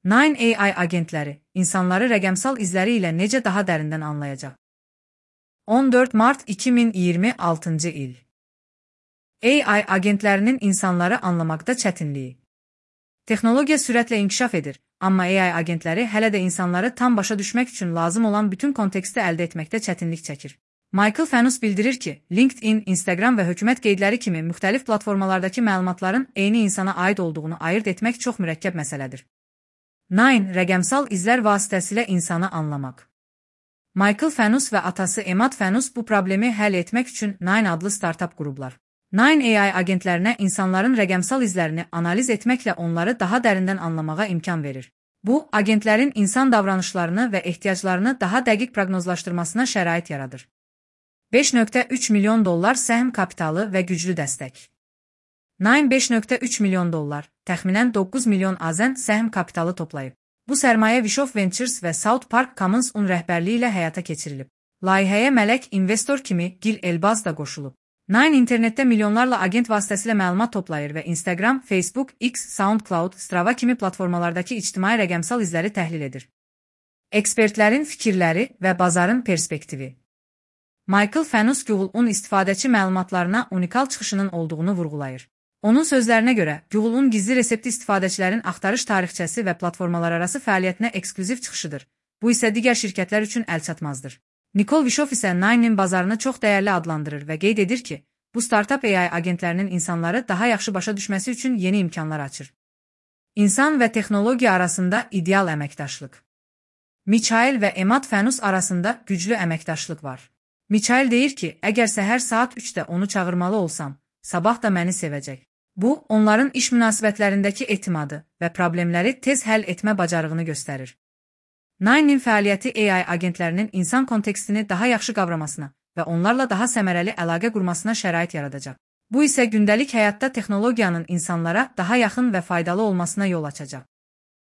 Nine AI agentləri insanları rəqəmsal izləri ilə necə daha dərindən anlayacaq? 14 Mart 2026 il. AI agentlərinin insanları anlamaqda çətinliyi. Texnologiya sürətlə inkişaf edir, amma AI agentləri hələ də insanları tam başa düşmək üçün lazım olan bütün konteksti əldə etməkdə çətinlik çəkir. Michael Fanus bildirir ki, LinkedIn, Instagram və hökumət qeydləri kimi müxtəlif platformalardakı məlumatların eyni insana aid olduğunu ayırd etmək çox mürəkkəb məsələdir. Nine rəqəmsal izlər vasitəsilə insanı anlamaq. Michael Fanus və atası Emad Fanus bu problemi həll etmək üçün Nine adlı startup qurublar. Nine AI agentlərinə insanların rəqəmsal izlərini analiz etməklə onları daha dərindən anlamağa imkan verir. Bu, agentlərin insan davranışlarını və ehtiyaclarını daha dəqiq proqnozlaşdırmasına şərait yaradır. 5.3 milyon dollar səhm kapitalı və güclü dəstək. Nine 5.3 milyon dollar, təxminən 9 milyon AZN səhm kapitalı toplayıb. Bu sərmayə Wishoff Ventures və South Park Commons rəhbərliyi ilə həyata keçirilib. Layihəyə mələk investor kimi Gil Elbaz da qoşulub. Nine internetdə milyonlarla agent vasitəsilə məlumat toplayır və Instagram, Facebook, X, SoundCloud, Strava kimi platformalardakı ictimai rəqəmsal izləri təhlil edir. Ekspertlərin fikirləri və bazarın perspektivi. Michael Fanus Google-un istifadəçi məlumatlarına unikal çıxışının olduğunu vurğulayır. Onun sözlərinə görə, Google-un gizli resepti istifadəçilərin axtarış tarixçəsi və platformalararası fəaliyyətinə eksklüziv çıxışıdır. Bu isə digər şirkətlər üçün əlçatmazdır. Nicole Wishoff isə Nine'nin bazarını çox dəyərli adlandırır və qeyd edir ki, bu startup AI agentlərinin insanları daha yaxşı başa düşməsi üçün yeni imkanlar açır. İnsan və texnologiya arasında ideal əməkdaşlıq. Michael və Emad Fanus arasında güclü əməkdaşlıq var. Michael deyir ki, əgər səhər saat 3-də onu çağırmalı olsam, sabah da məni sevəcək. Bu, onların iş münasibətlərindəki etimadı və problemləri tez həll etmə bacarığını göstərir. Nine'nin fəaliyyəti AI agentlərinin insan kontekstini daha yaxşı qavramasına və onlarla daha səmərəli əlaqə qurmasına şərait yaradacaq. Bu isə gündəlik həyatda texnologiyanın insanlara daha yaxın və faydalı olmasına yol açacaq.